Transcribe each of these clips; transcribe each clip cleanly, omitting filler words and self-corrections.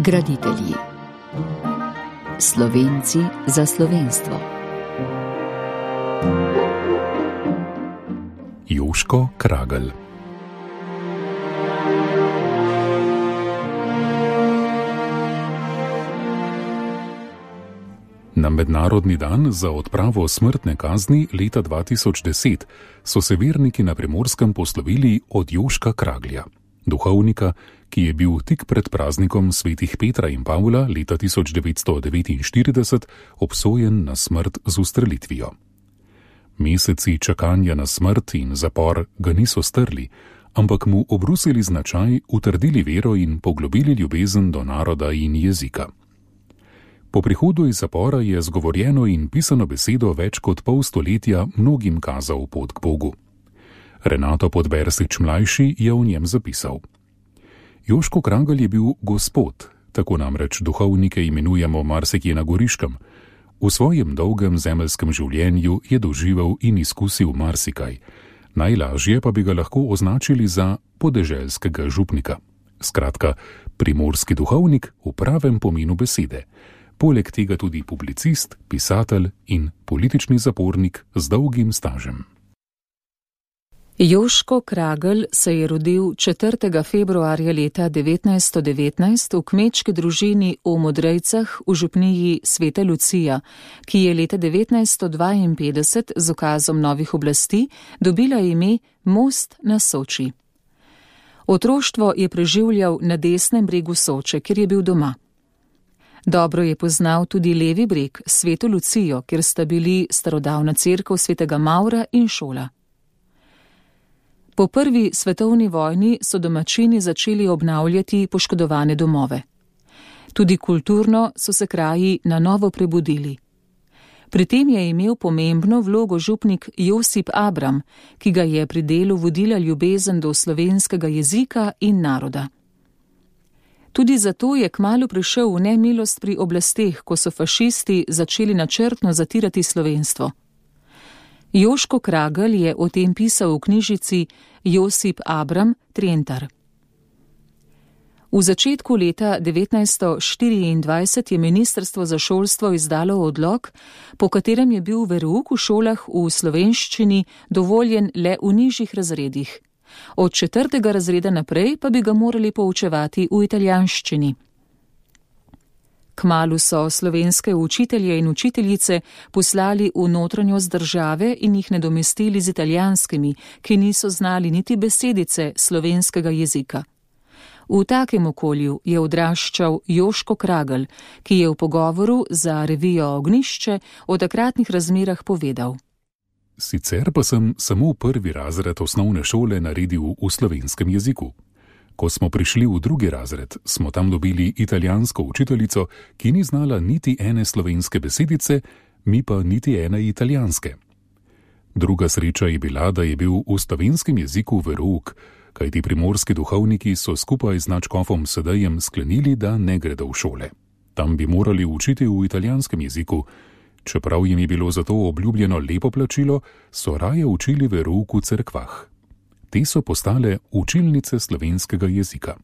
Graditelji. Slovenci za slovenstvo. Joško Kragelj. Na mednarodni dan za odpravo smrtne kazni leta 2010 so se verniki na Primorskem poslovili od Joška Kraglja, duhovnika, ki je bil tik pred praznikom svetih Petra in Pavla leta 1949 obsojen na smrt z ustrelitvijo. Meseci čakanja na smrt in zapor ga niso strli, ampak mu obrusili značaj, utrdili vero in poglobili ljubezen do naroda in jezika. Po prihodu iz zapora je zgovorjeno in pisano besedo več kot pol stoletja mnogim kazal pot k Bogu. Renato Podbersič mlajši je v njem zapisal: Joško Kragelj je bil gospod, tako namreč duhovnike imenujemo marsikje na Goriškem. V svojem dolgem zemeljskem življenju je doživel in izkusil marsikaj, najlažje pa bi ga lahko označili za podeželskega župnika. Skratka, primorski duhovnik v pravem pomenu besede. Poleg tega tudi publicist, pisatelj in politični zapornik z dolgim stažem. Joško Kragelj se je rodil 4. februarja leta 1919 v kmečki družini v Modrejcah v župniji Sveta Lucija, ki je leta 1952 z ukazom novih oblasti dobila ime Most na Soči. Otroštvo je preživljal na desnem bregu Soče, kjer je bil doma. Dobro je poznal tudi levi breg, Sveto Lucijo, kjer sta bili starodavna cerkev svetega Mavra in šola. Po prvi svetovni vojni so domačini začeli obnavljati poškodovane domove. Tudi kulturno so se kraji na novo prebudili. Pri tem je imel pomembno vlogo župnik Josip Abram, ki ga je pri delu vodila ljubezen do slovenskega jezika in naroda. Tudi zato je kmalu prišel v nemilost pri oblasteh, ko so fašisti začeli načrtno zatirati slovenstvo. Joško Kragelj je o tem pisal v knjižici Josip Abram Trentar. V začetku leta 1924 je Ministrstvo za šolstvo izdalo odlok, po katerem je bil verouk v šolah v slovenščini dovoljen le v nižjih razredih. Od 4. razreda naprej pa bi ga morali poučevati v italijanščini. Kmalu so slovenske učitelje in učiteljice poslali v notranjost države in jih nadomestili z italijanskimi, ki niso znali niti besedice slovenskega jezika. V takem okolju je odraščal Joško Kragelj, ki je v pogovoru za revijo Ognjišče o takratnih razmerah povedal: Sicer pa sem samo prvi razred osnovne šole naredil v slovenskem jeziku. Ko smo prišli v drugi razred, smo tam dobili italijansko učiteljico, ki ni znala niti ene slovenske besedice, mi pa niti ene italijanske. Druga sreča je bila, da je bil v slovenskem jeziku verouk, kajti primorski duhovniki so skupaj z nadškofom Sedejem sklenili, da ne gredo v šole. Tam bi morali učiti v italijanskem jeziku. Čeprav jim je bilo za to obljubljeno lepo plačilo, so raje učili verouk v cerkvah. Te so postale učilnice slovenskega jezika.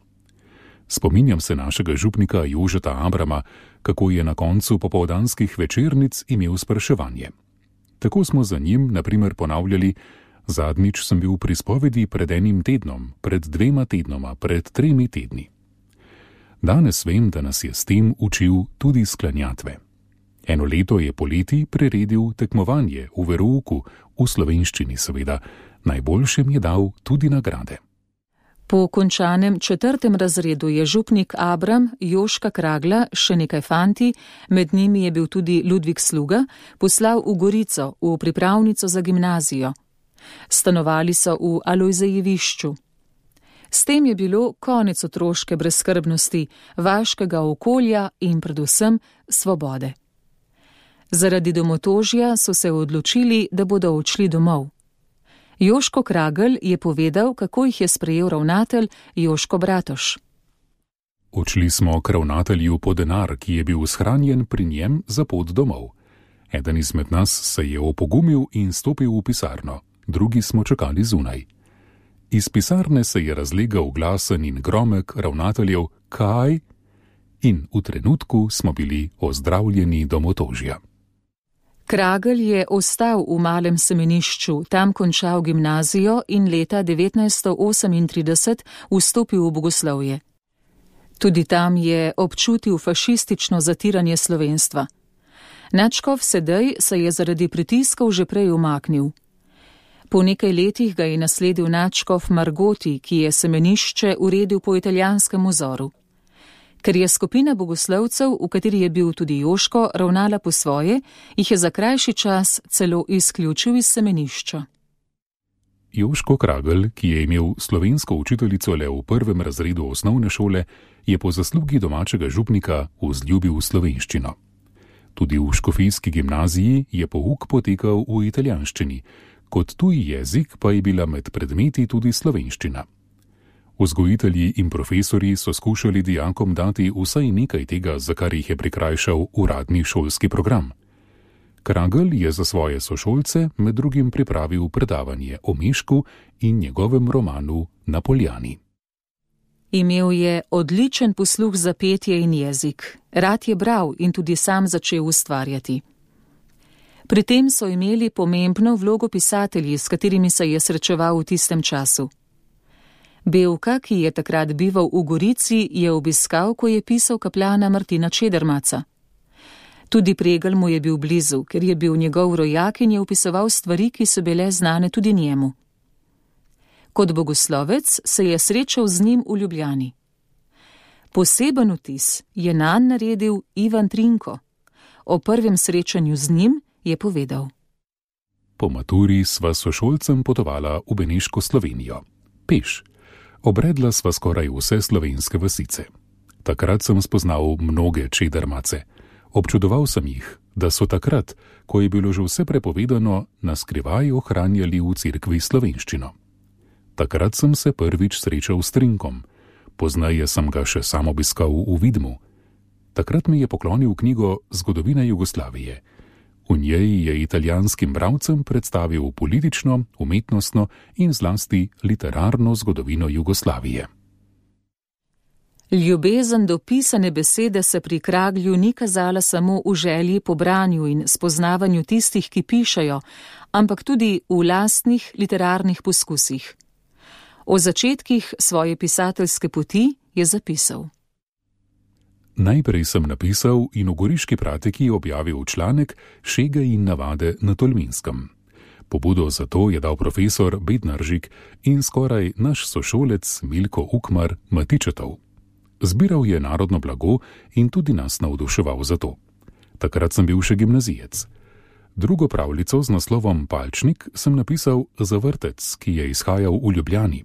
Spominjam se našega župnika Jožeta Abrama, kako je na koncu popoldanskih večernic imel spraševanje. Tako smo za njim, na primer, ponavljali: zadnjič sem bil pri spovedi pred enim tednom, pred 2 tednoma, pred 3 tedni. Danes vem, da nas je s tem učil tudi sklanjatve. Eno leto je poleti priredil tekmovanje v verouku, v slovenščini seveda, najboljšem je dal tudi nagrade. Po končanem 4. razredu je župnik Abram Joška Kraglja, še nekaj fanti, med njimi je bil tudi Ludvik Sluga, poslal v Gorico, v pripravnico za gimnazijo. Stanovali so v Alojzejevišču. S tem je bilo konec otroške brezskrbnosti, vaškega okolja in predvsem svobode. Zaradi domotožja so se odločili, da bodo odšli domov. Joško Kragelj je povedal, kako jih je sprejel ravnatelj Joško Bratoš. Odšli smo k ravnatelju po denar, ki je bil shranjen pri njem za pot domov. Eden izmed nas se je opogumil in stopil v pisarno, drugi smo čakali zunaj. Iz pisarne se je razlegal glasen in gromek ravnateljev: kaj? in v trenutku smo bili ozdravljeni domotožja. Kragelj je ostal v Malem Semenišču, tam končal gimnazijo in leta 1938 vstopil v bogoslovje. Tudi tam je občutil fašistično zatiranje slovenstva. Nadškof Sedej se je zaradi pritiskov že prej umaknil. Po nekaj letih ga je nasledil nadškof Margoti, ki je Semenišče uredil po italijanskem vzoru. Ker je skupina bogoslovcev, v kateri je bil tudi Joško, ravnala po svoje, jih je za krajši čas celo izključil iz Semenišča. Joško Kragelj, ki je imel slovensko učiteljico le v 1. razredu osnovne šole, je po zaslugi domačega župnika vzljubil slovenščino. Tudi v škofijski gimnaziji je pouk potekal v italijanščini, kot tuji jezik pa je bila med predmeti tudi slovenščina. Vzgojitelji in profesorji so skušali dijakom dati vsaj nekaj tega, za kar jih je prikrajšal uradni šolski program. Kragelj je za svoje sošolce med drugim pripravil predavanje o Mežku in njegovem romanu Na Poljani. Imel je odličen posluh za petje in jezik. Rad je bral in tudi sam začel ustvarjati. Pri tem so imeli pomembno vlogo pisatelji, s katerimi se je srečeval v tistem času. Bevka, ki je takrat bival v Gorici, je obiskal, ko je pisal kapljana Martina Čedermaca. Tudi Pregelj mu je bil blizu, ker je bil njegov rojak in je opisoval stvari, ki so bile znane tudi njemu. Kot bogoslovec se je srečal z njim v Ljubljani. Poseben vtis je nanj naredil Ivan Trinko. O prvem srečanju z njim je povedal. Po maturi sva sošolcem potovala v Beneško Slovenijo. Peš. Obredla sva skoraj vse slovenske vasice. Takrat sem spoznal mnoge Čedermace. Občudoval sem jih, da so takrat, ko je bilo že vse prepovedano, naskrivaj ohranjali v cerkvi slovenščino. Takrat sem se prvič srečal s Trinkom. Poznaje sem ga še sam obiskal v Vidmu. Takrat mi je poklonil knjigo Zgodovina Jugoslavije. V njej je italijanskim bralcem predstavil politično, umetnostno in zlasti literarno zgodovino Jugoslavije. Ljubezen do pisane besede se pri Kraglju ni kazala samo v želji po branju in spoznavanju tistih, ki pišejo, ampak tudi v lastnih literarnih poskusih. O začetkih svoje pisateljske poti je zapisal. Najprej sem napisal in v Goriški pratiki objavil članek Šege in navade na Tolminskem. Pobudo za to je dal profesor Bednaržik in skoraj naš sošolec Milko Ukmar Matičetov. Zbiral je narodno blago in tudi nas navduševal za to. Takrat sem bil še gimnazijec. Drugo pravljico z naslovom Palčnik sem napisal za vrtec, ki je izhajal v Ljubljani.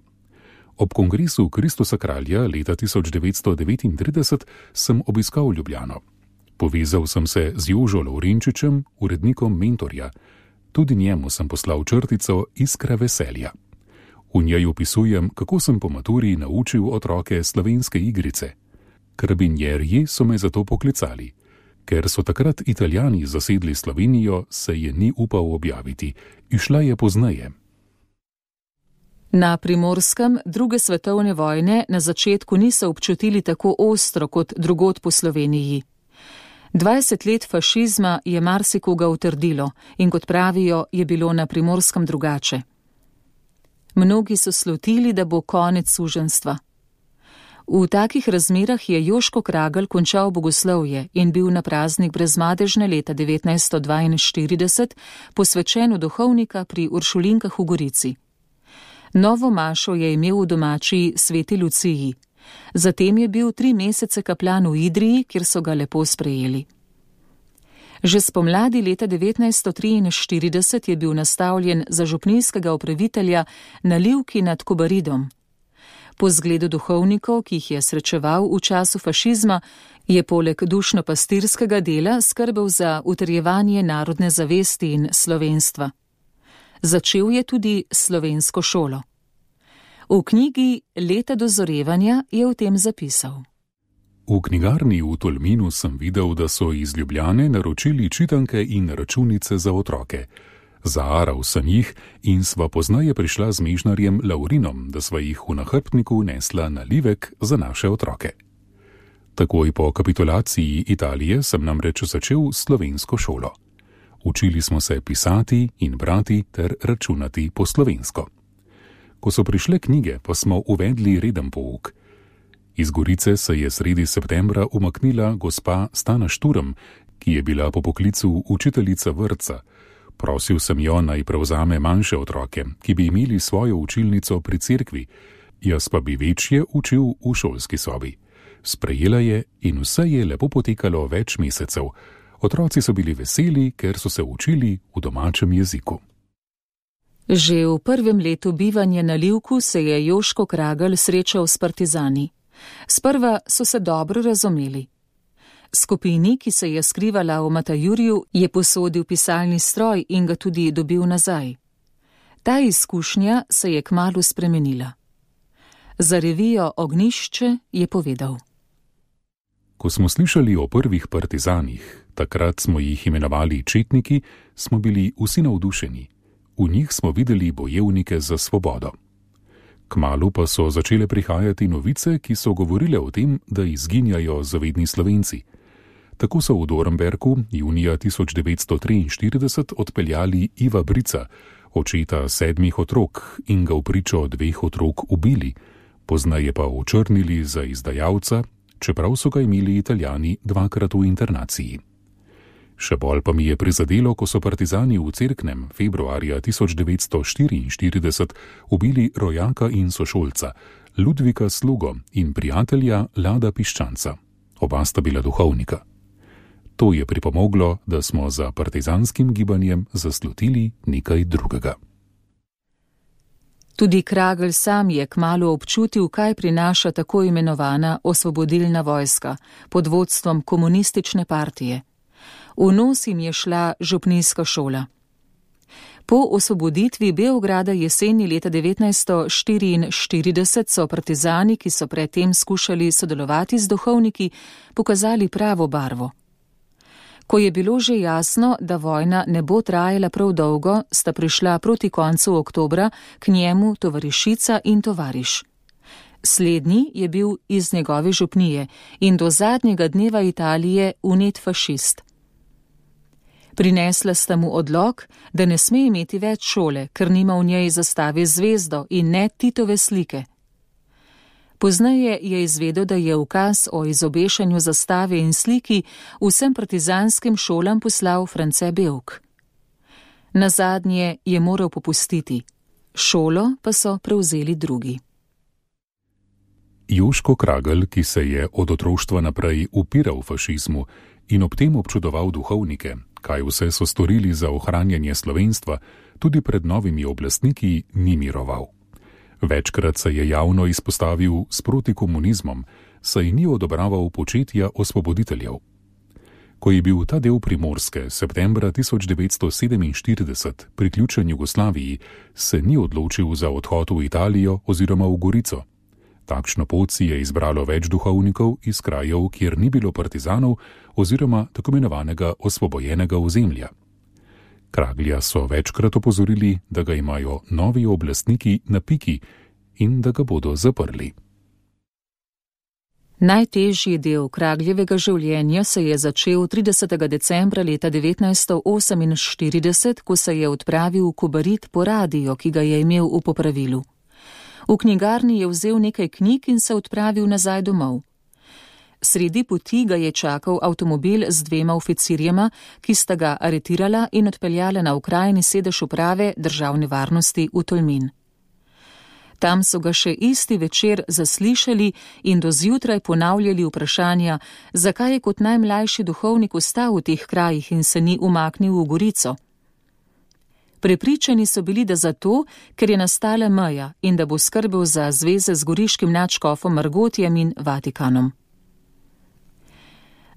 Ob kongresu Kristusa kralja leta 1939 sem obiskal Ljubljano. Povezal sem se z Jožo Lovrenčičem, urednikom Mentorja. Tudi njemu sem poslal črtico Iskra veselja. V njej opisujem, kako sem po maturi naučil otroke slovenske igrice. Karabinjerji so me zato poklicali. Ker so takrat Italijani zasedli Slovenijo, se je ni upal objaviti. Išla je pozneje. Na Primorskem 2. svetovne vojne na začetku niso občutili tako ostro kot drugod po Sloveniji. 20 let fašizma je marsikoga utrdilo in kot pravijo, je bilo na Primorskem drugače. Mnogi so slutili, da bo konec suženjstva. V takih razmerah je Joško Kragelj končal bogoslovje in bil na praznik brezmadežne leta 1942 posvečen v duhovnika pri Uršulinkah v Gorici. Novo mašo je imel v domači Sveti Luciji. Zatem je bil 3 mesece kaplan v Idriji, kjer so ga lepo sprejeli. Že spomladi leta 1943 je bil nastavljen za župnijskega upravitelja na Livki nad Kobaridom. Po zgledu duhovnikov, ki jih je srečeval v času fašizma, je poleg dušno-pastirskega dela skrbel za utrjevanje narodne zavesti in slovenstva. Začel je tudi slovensko šolo. V knjigi Leta dozorevanja je o tem zapisal. V knjigarni v Tolminu sem videl, da so iz Ljubljane naročili čitanke in računice za otroke. Zaaral sem jih in sva poznaje prišla z mežnarjem Laurinom, da sva jih v nahrbtniku nesla na Livek za naše otroke. Takoj po kapitulaciji Italije sem namreč začel slovensko šolo. Učili smo se pisati in brati ter računati po slovensko. Ko so prišle knjige, pa smo uvedli reden pouk. Iz Gorice se je sredi septembra umaknila gospa Stana Šturm, ki je bila po poklicu učiteljica vrtca. Prosil sem jo, naj prevzame manjše otroke, ki bi imeli svojo učilnico pri cerkvi, jaz pa bi večje učil v šolski sobi. Sprejela je in vse je lepo potekalo več mesecev. Otroci so bili veseli, ker so se učili v domačem jeziku. Že v prvem letu bivanja na Livku se je Joško Kragelj srečal s partizani. Sprva so se dobro razumeli. Skupini, ki se je skrivala v Matajurju, je posodil pisalni stroj in ga tudi dobil nazaj. Ta izkušnja se je kmalu spremenila. Za revijo Ognjišče je povedal: Ko smo slišali o prvih partizanih, takrat smo jih imenovali četniki, smo bili vsi navdušeni. V njih smo videli bojevnike za svobodo. Kmalu pa so začele prihajati novice, ki so govorile o tem, da izginjajo zavedni Slovenci. Tako so v Dornberku junija 1943 odpeljali Iva Brica, očeta 7 otrok, in ga v pričo 2 otrok ubili, pozneje pa očrnili za izdajalca, čeprav so ga imeli Italijani 2-krat v internaciji. Še bolj pa mi je prizadelo, ko so partizani v Cerknem februarja 1944 ubili rojaka in sošolca, Ludvika Slugo in prijatelja Lada Piščanca. Oba sta bila duhovnika. To je pripomoglo, da smo za partizanskim gibanjem zaslutili nekaj drugega. Tudi Kragelj sam je kmalu občutil, kaj prinaša tako imenovana osvobodilna vojska pod vodstvom komunistične partije. V nos jim je šla župnijska šola. Po osvoboditvi Beograda jeseni leta 1944 so partizani, ki so predtem skušali sodelovati z duhovniki, pokazali pravo barvo. Ko je bilo že jasno, da vojna ne bo trajala prav dolgo, sta prišla proti koncu oktobra k njemu tovarišica in tovariš. Slednji je bil iz njegove župnije in do zadnjega dneva Italije vnet fašist. Prinesla sta mu odlok, da ne sme imeti več šole, ker nima v njej zastave zvezdo in ne Titove slike. Pozneje je izvedel, da je ukaz o izobešanju zastave in sliki vsem partizanskim šolam poslal France Bevk. Nazadnje je moral popustiti, šolo pa so prevzeli drugi. Joško Kragelj, ki se je od otroštva naprej upiral fašizmu in ob tem občudoval duhovnike, kaj vse so storili za ohranjanje slovenstva, tudi pred novimi oblastniki ni miroval. Večkrat se je javno izpostavil s protikomunizmom, saj ni odobraval početja osvoboditeljev. Ko je bil ta del Primorske septembra 1947 priključen Jugoslaviji, se ni odločil za odhod v Italijo oziroma v Gorico. Takšno pot si je izbralo več duhovnikov iz krajev, kjer ni bilo partizanov oziroma tako imenovanega osvobojenega ozemlja. Kraglja so večkrat opozorili, da ga imajo novi oblastniki na piki in da ga bodo zaprli. Najtežji del Kragljevega življenja se je začel 30. decembra leta 1948, ko se je odpravil v Kobarid po radio, ki ga je imel v popravilu. V knjigarni je vzel nekaj knjig in se odpravil nazaj domov. Sredi poti ga je čakal avtomobil z 2 oficirjema, ki sta ga aretirala in odpeljala na okrajni sedež uprave državne varnosti v Tolmin. Tam so ga še isti večer zaslišali in do zjutraj ponavljali vprašanja, zakaj je kot najmlajši duhovnik ostal v teh krajih in se ni umaknil v Gorico. Prepričani so bili, da zato, ker je nastala meja in da bo skrbel za zveze z goriškim nadškofom Margotjem in Vatikanom.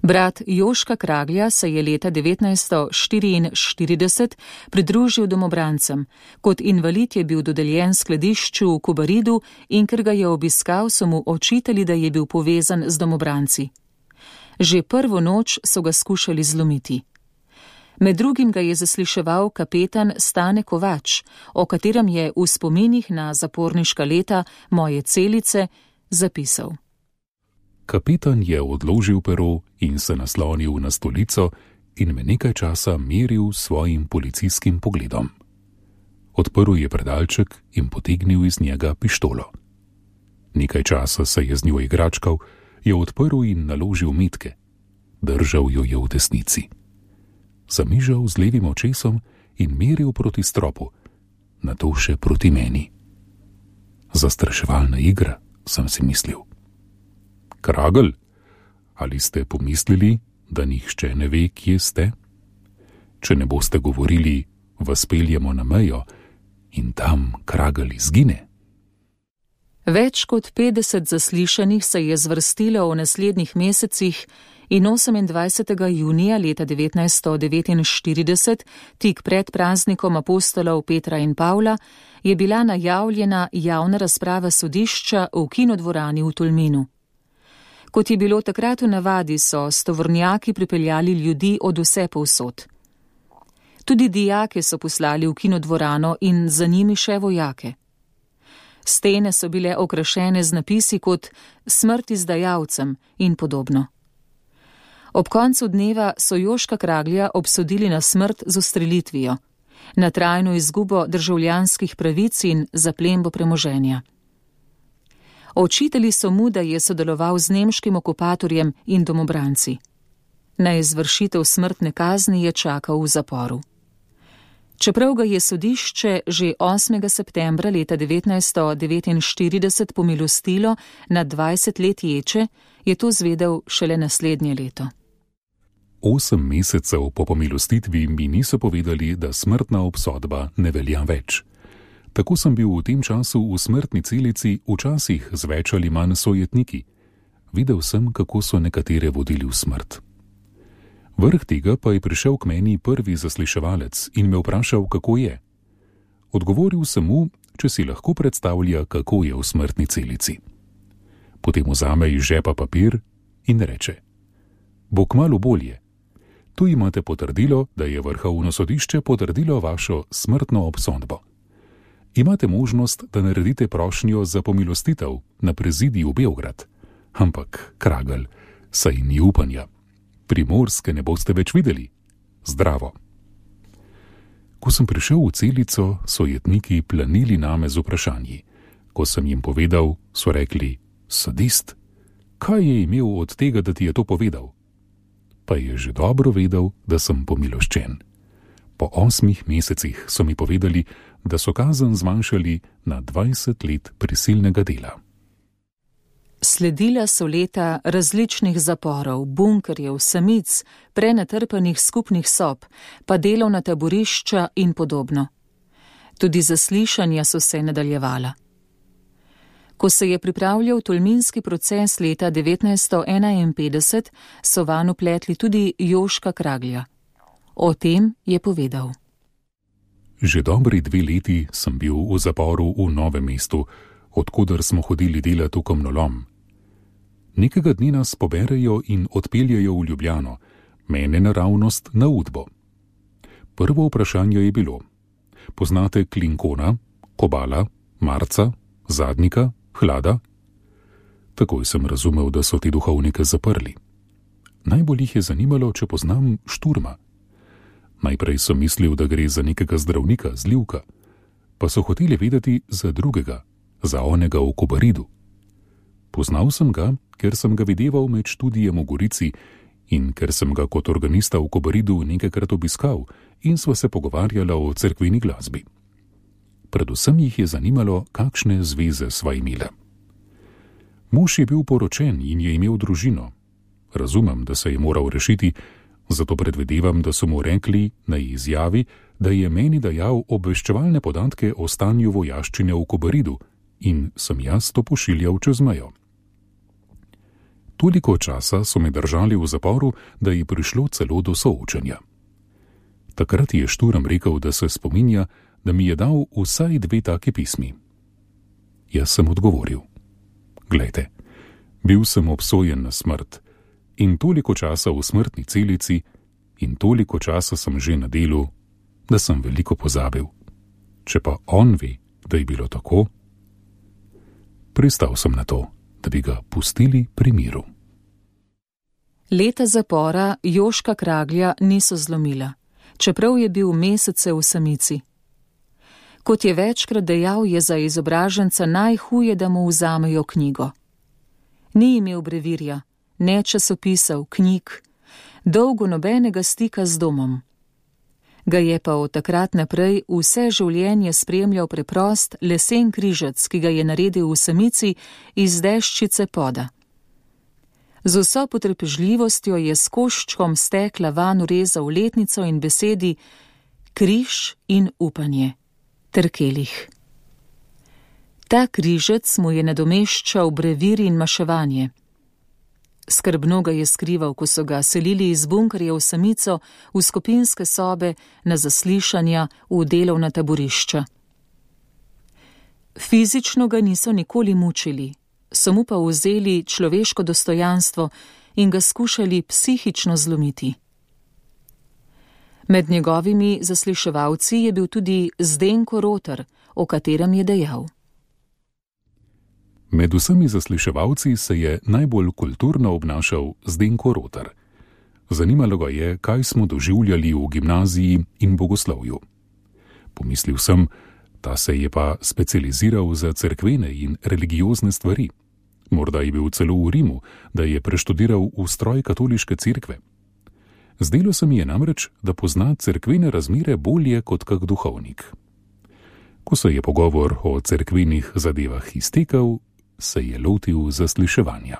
Brat Joška Kraglja se je leta 1944 pridružil domobrancem. Kot invalid je bil dodeljen skladišču v Kobaridu in ker ga je obiskal, so mu očitali, da je bil povezan z domobranci. Že prvo noč so ga skušali zlomiti. Med drugim ga je zasliševal kapetan Stane Kovač, o katerem je v spominih na zaporniška leta Moje celice zapisal. Kapitan je odložil pero in se naslonil na stolico in me nekaj časa meril s svojim policijskim pogledom. Odprl je predalček in potegnil iz njega pištolo. Nekaj časa se je z njo igračkal, jo odprl in naložil metke. Držal jo je v desnici. Zamižal z levim očesom in meril proti stropu, nato še proti meni. Zastraševalna igra, sem si mislil. Kragl, ali ste pomislili, da nihče ne ve, kje ste? Če ne boste govorili, vas peljemo na mejo in tam Kragl izgine. Več kot 50 zaslišanih se je zvrstilo v naslednjih mesecih in 28. junija leta 1949, tik pred praznikom apostolov Petra in Pavla, je bila najavljena javna razprava sodišča v kinodvorani v Tolminu. Kot je bilo takrat v navadi, so s tovornjaki pripeljali ljudi od vse povsod. Tudi dijake so poslali v kinodvorano in za njimi še vojake. Stene so bile okrašene z napisi kot smrt izdajalcem in podobno. Ob koncu dneva so Joška Kraglja obsodili na smrt z ustrelitvijo, na trajno izgubo državljanskih pravic in zaplembo premoženja. Očitali so mu, da je sodeloval z nemškim okupatorjem in domobranci. Na izvršitev smrtne kazni je čakal v zaporu. Čeprav ga je sodišče že 8. septembra leta 1949 pomilostilo na 20 let ječe, je to zvedel šele naslednje leto. 8 mesecev po pomilostitvi mi niso povedali, da smrtna obsodba ne velja več. Tako sem bil v tem času v smrtni celici včasih z več ali manj sojetniki. Videl sem, kako so nekatere vodili v smrt. Vrh tega pa je prišel k meni prvi zasliševalec in me vprašal, kako je. Odgovoril sem mu, če si lahko predstavlja, kako je v smrtni celici. Potem vzame iz žepa papir in reče: bo kmalu bolje. Tu imate potrdilo, da je Vrhovno sodišče potrdilo vašo smrtno obsodbo. Imate možnost, da naredite prošnjo za pomilostitev na prezidiju Beograd. Ampak, Kragl, saj ni upanja. Primorske ne boste več videli. Zdravo. Ko sem prišel v celico, so jetniki planili name z vprašanji. Ko sem jim povedal, so rekli: sadist, kaj je imel od tega, da ti je to povedal? Pa je že dobro vedel, da sem pomiloščen. Po 8 mesecih so mi povedali, da so kazen zmanjšali na 20 let prisilnega dela. Sledila so leta različnih zaporov, bunkerjev, samic, prenatrpanih skupnih sob, pa delovna taborišča in podobno. Tudi zaslišanja so se nadaljevala. Ko se je pripravljal tolminski proces leta 1951, so vanj vpletli tudi Joška Kraglja. O tem je povedal. Že dobri 2 leti sem bil v zaporu v Novem mestu, odkuder smo hodili delati v kamnolom. Nekega dne nas poberejo in odpeljejo v Ljubljano, mene naravnost na Udbo. Prvo vprašanje je bilo: poznate Klinkona, Kobala, Marca, Zadnika, Hlada? Takoj sem razumel, da so te duhovnike zaprli. Najbolj jih je zanimalo, če poznam Šturma. Najprej sem mislil, da gre za nekega zdravnika, zlivka, pa so hoteli vedeti za drugega, za onega v Kobaridu. Poznal sem ga, ker sem ga videval med študijem v Gorici in ker sem ga kot organista v Kobaridu nekajkrat obiskal in sva se pogovarjala o cerkveni glasbi. Predvsem jih je zanimalo, kakšne zveze sva imela. Mož je bil poročen in je imel družino. Razumem, da se je moral rešiti, zato predvidevam, da so mu rekli na izjavi, da je meni dajal obveščevalne podatke o stanju vojaščine v Kobaridu in sem jaz to pošiljal čez mejo. Toliko časa so me držali v zaporu, da je prišlo celo do soočenja. Takrat je Šturm rekel, da se spominja, da mi je dal vsaj 2 take pismi. Jaz sem odgovoril: glejte, bil sem obsojen na smrt in toliko časa v smrtni celici in toliko časa sem že na delu, da sem veliko pozabil. Če pa on ve, da je bilo tako, pristal sem na to, da bi ga pustili pri miru. Leta zapora Joška Kraglja niso zlomila, čeprav je bil mesece v samici. Kot je večkrat dejal, je za izobraženca najhuje, da mu vzamejo knjigo. Ni imel brevirja, ne časopisov, knjig, dolgo nobenega stika z domom. Ga je pa od takrat naprej vse življenje spremljal preprost lesen križec, ki ga je naredil v samici iz deščice poda. Z vso potrpežljivostjo je s koščkom stekla van urezal letnico in besedi križ in upanje ter kelih. Ta križec mu je nadomeščal brevir in maševanje. Skrbno ga je skrival, ko so ga selili iz bunkerja v samico, v skupinske sobe, na zaslišanja, v delovna taborišča. Fizično ga niso nikoli mučili, so mu pa vzeli človeško dostojanstvo in ga skušali psihično zlomiti. Med njegovimi zasliševalci je bil tudi Zdenko Rotar, o katerem je dejal. Med vsemi zasliševalci se je najbolj kulturno obnašal Zdenko Rotar. Zanimalo ga je, kaj smo doživljali v gimnaziji in bogoslovju. Pomislil sem, ta se je pa specializiral za cerkvene in religiozne stvari. Morda je bil celo v Rimu, da je preštudiral ustroj katoliške cerkve. Zdelo se mi je namreč, da pozna cerkvene razmere bolje kot kak duhovnik. Ko se je pogovor o cerkvenih zadevah iztekel, se je lotil zasliševanja.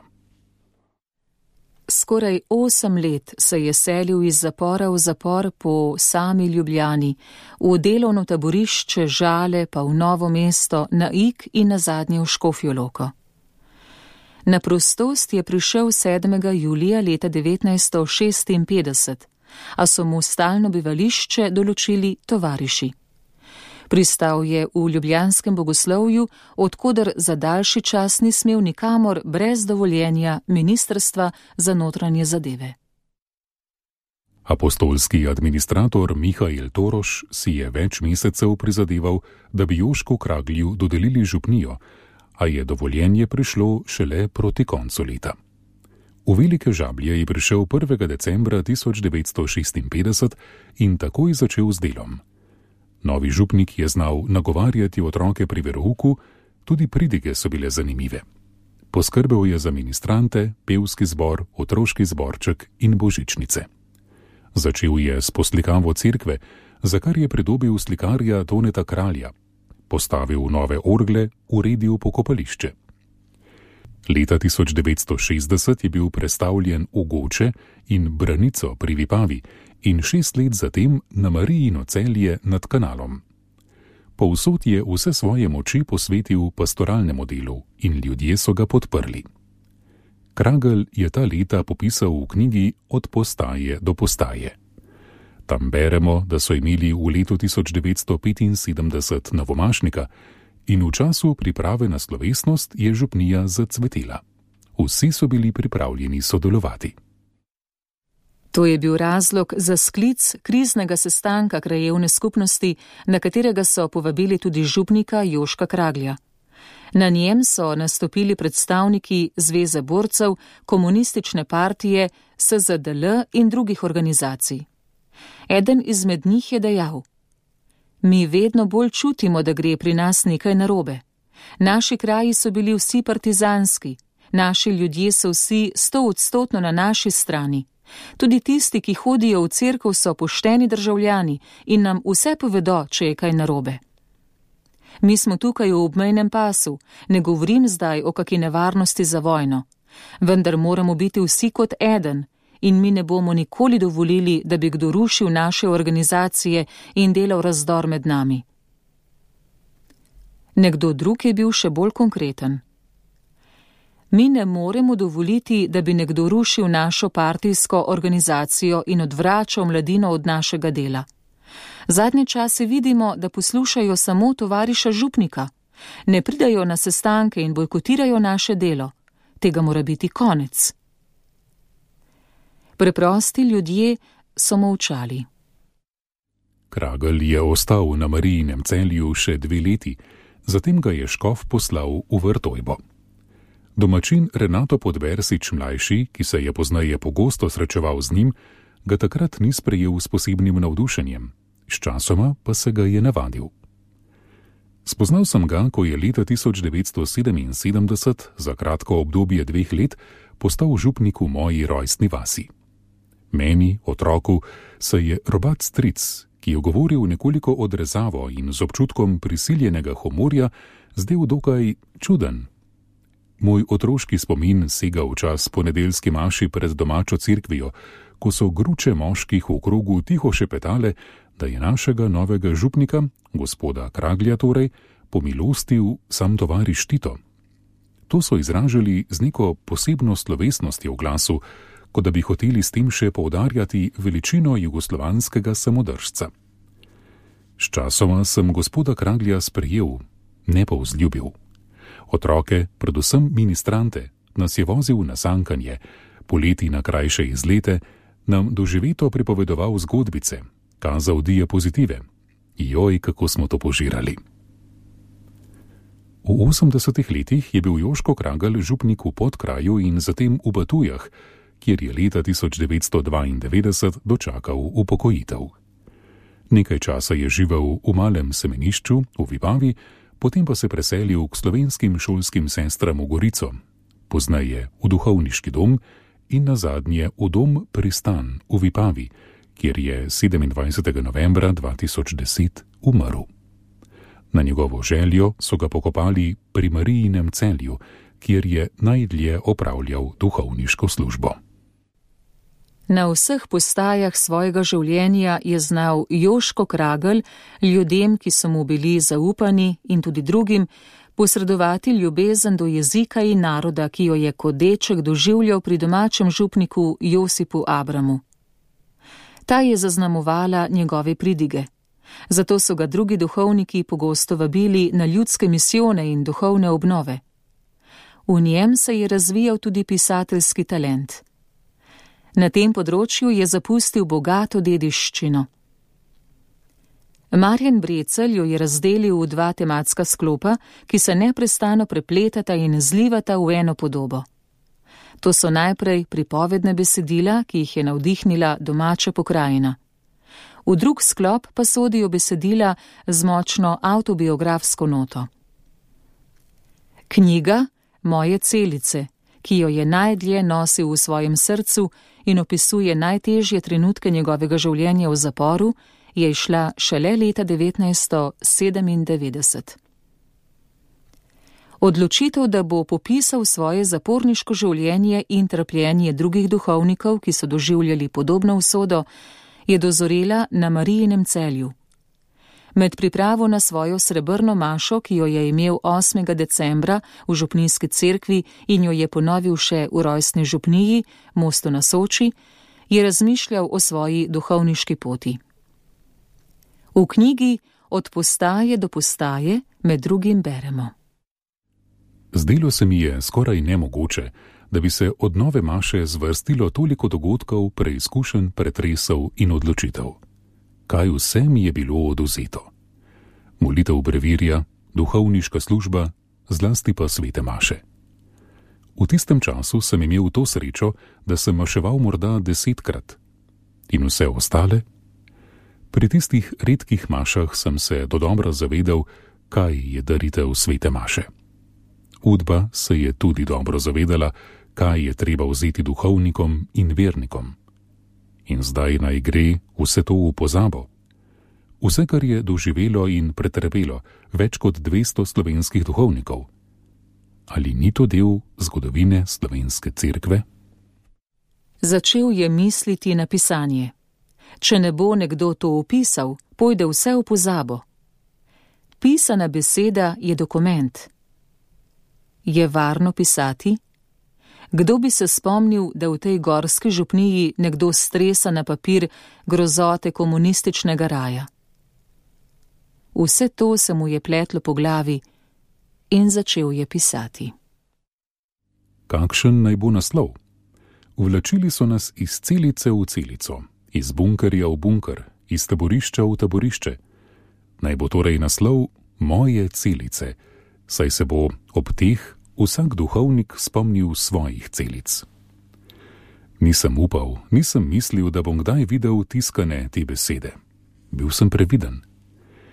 Skoraj 8 let se je selil iz zapora v zapor po sami Ljubljani, v delovno taborišče Žale, pa v Novo mesto, na Ig in nazadnje v Škofjo Loko. Na prostost je prišel 7. julija leta 1956, a so mu stalno bivališče določili tovariši. Pristal je v ljubljanskem bogoslovju, odkoder za daljši čas ni smel nikamor brez dovoljenja Ministrstva za notranje zadeve. Apostolski administrator Mihael Toroš si je več mesecev prizadeval, da bi Jošku Kraglju dodelili župnijo, a je dovoljenje prišlo šele proti koncu leta. V Velike Žablje je prišel 1. decembra 1956 in takoj začel z delom. Novi župnik je znal nagovarjati otroke pri verouku, tudi pridige so bile zanimive. Poskrbel je za ministrante, pevski zbor, otroški zborček in božičnice. Začel je s poslikavo cerkve, za kar je pridobil slikarja Toneta Kralja. Postavil nove orgle, uredil pokopališče. Leta 1960 je bil prestavljen v Goče in Branico pri Vipavi in 6 let zatem na Marijino Celje nad kanalom. Povsod je vse svoje moči posvetil pastoralnemu delu in ljudje so ga podprli. Kragelj je ta leta popisal v knjigi Od postaje do postaje. Tam beremo, da so imeli v letu 1975 novomašnika in v času priprave na slovesnost je župnija zacvetela. Vsi so bili pripravljeni sodelovati. To je bil razlog za sklic kriznega sestanka krajevne skupnosti, na katerega so povabili tudi župnika Joška Kraglja. Na njem so nastopili predstavniki Zveze borcev, Komunistične partije, SZDL in drugih organizacij. Eden izmed njih je dejal: Mi vedno bolj čutimo, da gre pri nas nekaj narobe. Naši kraji so bili vsi partizanski, naši ljudje so vsi 100% na naši strani. Tudi tisti, ki hodijo v cerkev, so pošteni državljani in nam vse povedo, če je kaj narobe. Mi smo tukaj v obmejnem pasu, ne govorim zdaj o kaki nevarnosti za vojno, vendar moramo biti vsi kot eden in mi ne bomo nikoli dovolili, da bi kdo rušil naše organizacije in delal razdor med nami. Nekdo drug je bil še bolj konkreten. Mi ne moremo dovoliti, da bi nekdo rušil našo partijsko organizacijo in odvračal mladino od našega dela. Zadnje čase vidimo, da poslušajo samo tovariša župnika, ne pridajo na sestanke in bojkotirajo naše delo. Tega mora biti konec. Preprosti ljudje so molčali. Kragelj je ostal na Marijinem Celju še 2 leti, zatem ga je škof poslal v Vrtojbo. Domačin Renato Podbersič mlajši, ki se je pozneje pogosto srečeval z njim, ga takrat ni sprejel s posebnim navdušenjem, sčasoma pa se ga je navadil. Spoznal sem ga, ko je leta 1977, za kratko obdobje 2 let, postal župnik v moji rojstni vasi. Meni, otroku, se je robat stric, ki je govoril nekoliko odrezavo in z občutkom prisiljenega humorja, zdel dokaj čuden. Moj otroški spomin sega v čas po nedeljski maši pred domačo cerkvijo, ko so gruče moških v krogu tiho šepetale, da je našega novega župnika, gospoda Kraglja torej, pomilostil sam tovariš Tito. To so izražali z neko posebno slovesnostjo v glasu, kot da bi hoteli s tem še poudarjati veličino jugoslovanskega samodržca. Sčasoma sem gospoda Kraglja sprejel, ne pa vzljubil. Otroke, predvsem ministrante, nas je vozil na sankanje, poleti na krajše izlete, nam doživeto pripovedoval zgodbice, kazal diapozitive. Joj, kako smo to požirali. V 80. letih je bil Joško Kragelj župnik v Podkraju in zatem v Batujah, kjer je leta 1992 dočakal upokojitev. Nekaj časa je živel v Malem Semenišču v Vipavi, potem pa se preselil k slovenskim šolskim sestram v Gorico, pozneje v duhovniški dom in nazadnje v dom Pristan v Vipavi, kjer je 27. novembra 2010 umrl. Na njegovo željo so ga pokopali pri Marijinem Celju, kjer je najdlje opravljal duhovniško službo. Na vseh postajah svojega življenja je znal Joško Kragelj ljudem, ki so mu bili zaupani, in tudi drugim, posredovati ljubezen do jezika in naroda, ki jo je kot deček doživljal pri domačem župniku Josipu Abramu. Ta je zaznamovala njegove pridige. Zato so ga drugi duhovniki pogosto vabili na ljudske misijone in duhovne obnove. V njem se je razvijal tudi pisateljski talent. Na tem področju je zapustil bogato dediščino. Marjan Brecelj jo je razdelil v 2 tematska sklopa, ki se neprestano prepletata in zlivata v eno podobo. To so najprej pripovedne besedila, ki jih je navdihnila domača pokrajina. V drug sklop pa sodijo besedila z močno avtobiografsko noto. Knjiga Moje celice, ki jo je najdlje nosil v svojem srcu in opisuje najtežje trenutke njegovega življenja v zaporu, je izšla šele leta 1997. Odločitev, da bo popisal svoje zaporniško življenje in trpljenje drugih duhovnikov, ki so doživljali podobno usodo, je dozorela na Marijinem Celju. Med pripravo na svojo srebrno mašo, ki jo je imel 8. decembra v župnijski cerkvi in jo je ponovil še v rojstni župniji, Mostu na Soči, je razmišljal o svoji duhovniški poti. V knjigi Od postaje do postaje med drugim beremo. Zdelo se mi je skoraj nemogoče, da bi se od nove maše zvrstilo toliko dogodkov, preizkušenj, pretresov in odločitev. Kaj vse mi je bilo odvzeto? Molitev brevirja, duhovniška služba, zlasti pa svete maše. V tistem času sem imel to srečo, da sem maševal morda 10-krat. In vse ostale? Pri tistih redkih mašah sem se dodobra zavedal, kaj je daritev svete maše. Udba se je tudi dobro zavedala, kaj je treba vzeti duhovnikom in vernikom. In zdaj naj gre vse to v pozabo. Vse, kar je doživelo in pretrpelo več kot 200 slovenskih duhovnikov. Ali ni to del zgodovine slovenske cerkve? Začel je misliti na pisanje. Če ne bo nekdo to opisal, pojde vse v pozabo. Pisana beseda je dokument. Je varno pisati? Kdo bi se spomnil, da v tej gorski župniji nekdo stresa na papir grozote komunističnega raja? Vse to se mu je pletlo po glavi in začel je pisati. Kakšen naj bo naslov? Vlačili so nas iz celice v celico, iz bunkerja v bunker, iz taborišča v taborišče. Naj bo torej naslov Moje celice, saj se bo ob teh vsak duhovnik spomnil svojih celic. Nisem upal, nisem mislil, da bom kdaj videl tiskane te besede. Bil sem previden.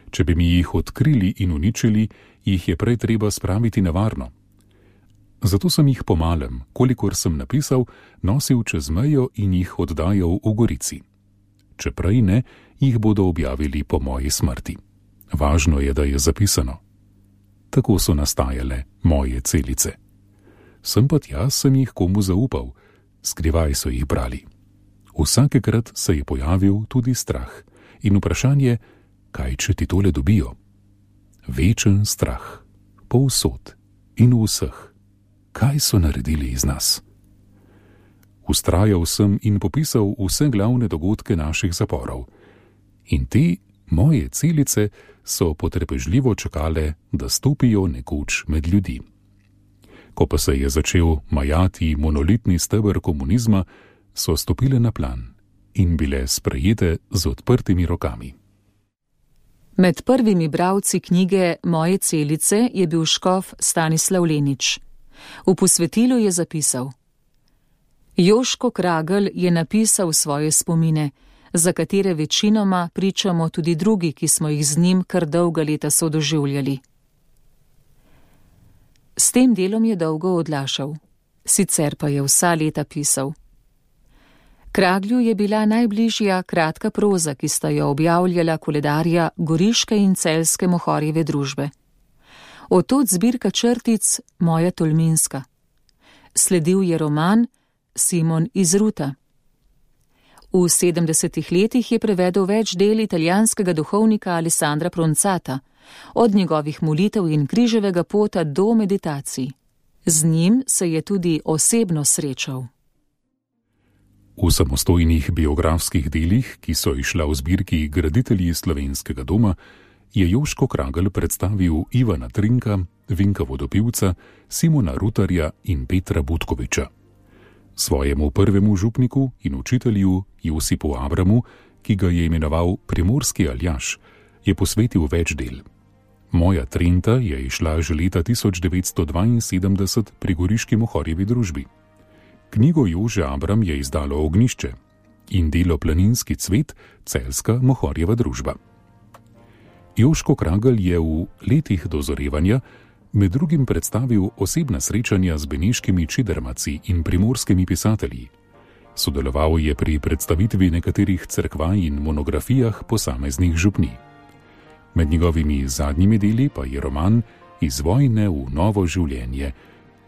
Če bi mi jih odkrili in uničili, jih je prej treba spraviti na varno. Zato sem jih po malem, kolikor sem napisal, nosil čez mejo in jih oddajal v Gorici. Če prej ne, jih bodo objavili po moji smrti. Važno je, da je zapisano. Tako so nastajale moje celice. Sem pa tja sem jih komu zaupal, skrivaj so jih brali. Vsakekrat se je pojavil tudi strah in vprašanje, kaj če ti tole dobijo? Večen strah, povsod in v vseh. Kaj so naredili iz nas? Vztrajal sem in popisal vse glavne dogodke naših zaporov. In te moje celice so potrpežljivo čakale, da stopijo nekoč med ljudi. Ko pa se je začel majati monolitni steber komunizma, so stopile na plan in bile sprejete z odprtimi rokami. Med prvimi bralci knjige Moje celice je bil škof Stanislav Lenič. V posvetilu je zapisal: Joško Kragelj je napisal svoje spomine, za katere večinoma pričamo tudi drugi, ki smo jih z njim kar dolga leta sodoživljali. S tem delom je dolgo odlašal, sicer pa je vsa leta pisal. Kraglju je bila najbližja kratka proza, ki sta jo objavljala koledarja Goriške in Celjske Mohorjeve družbe. Otod zbirka črtic Moja Tolminska. Sledil je roman Simon iz Ruta. V 70. letih je prevedel več del italijanskega duhovnika Alessandra Pronzata, od njegovih molitev in križevega pota do meditacij. Z njim se je tudi osebno srečal. V samostojnih biografskih delih, ki so izšla v zbirki Graditelji slovenskega doma, je Joško Kragelj predstavil Ivana Trinka, Vinka Vodopivca, Simona Rutarja in Petra Butkoviča. Svojemu prvemu župniku in učitelju Josipu Abramu, ki ga je imenoval Primorski Aljaž, je posvetil več del. Moja Trenta je izšla že leta 1972 pri Goriški Mohorjevi družbi. Knjigo Jože Abram je izdalo Ognjišče in delo Planinski cvet Celjska Mohorjeva družba. Joško Kragelj je v letih dozorevanja med drugim predstavil osebna srečanja z beneškimi čidermaci in primorskimi pisatelji. Sodeloval je pri predstavitvi nekaterih cerkva in monografijah posameznih župnij. Med njegovimi zadnjimi deli pa je roman Iz vojne v novo življenje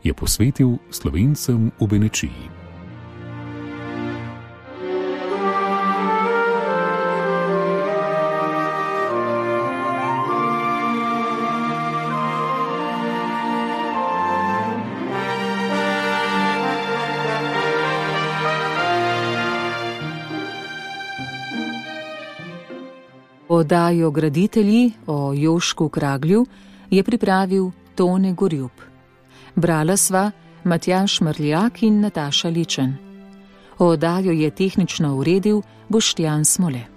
je posvetil Slovencem v Benečiji. Oddajo Graditelji o Jošku Kraglju je pripravil Tone Gorjup. Brala sva Matjaž Mrljak in Nataša Ličen. Oddajo je tehnično uredil Boštjan Smole.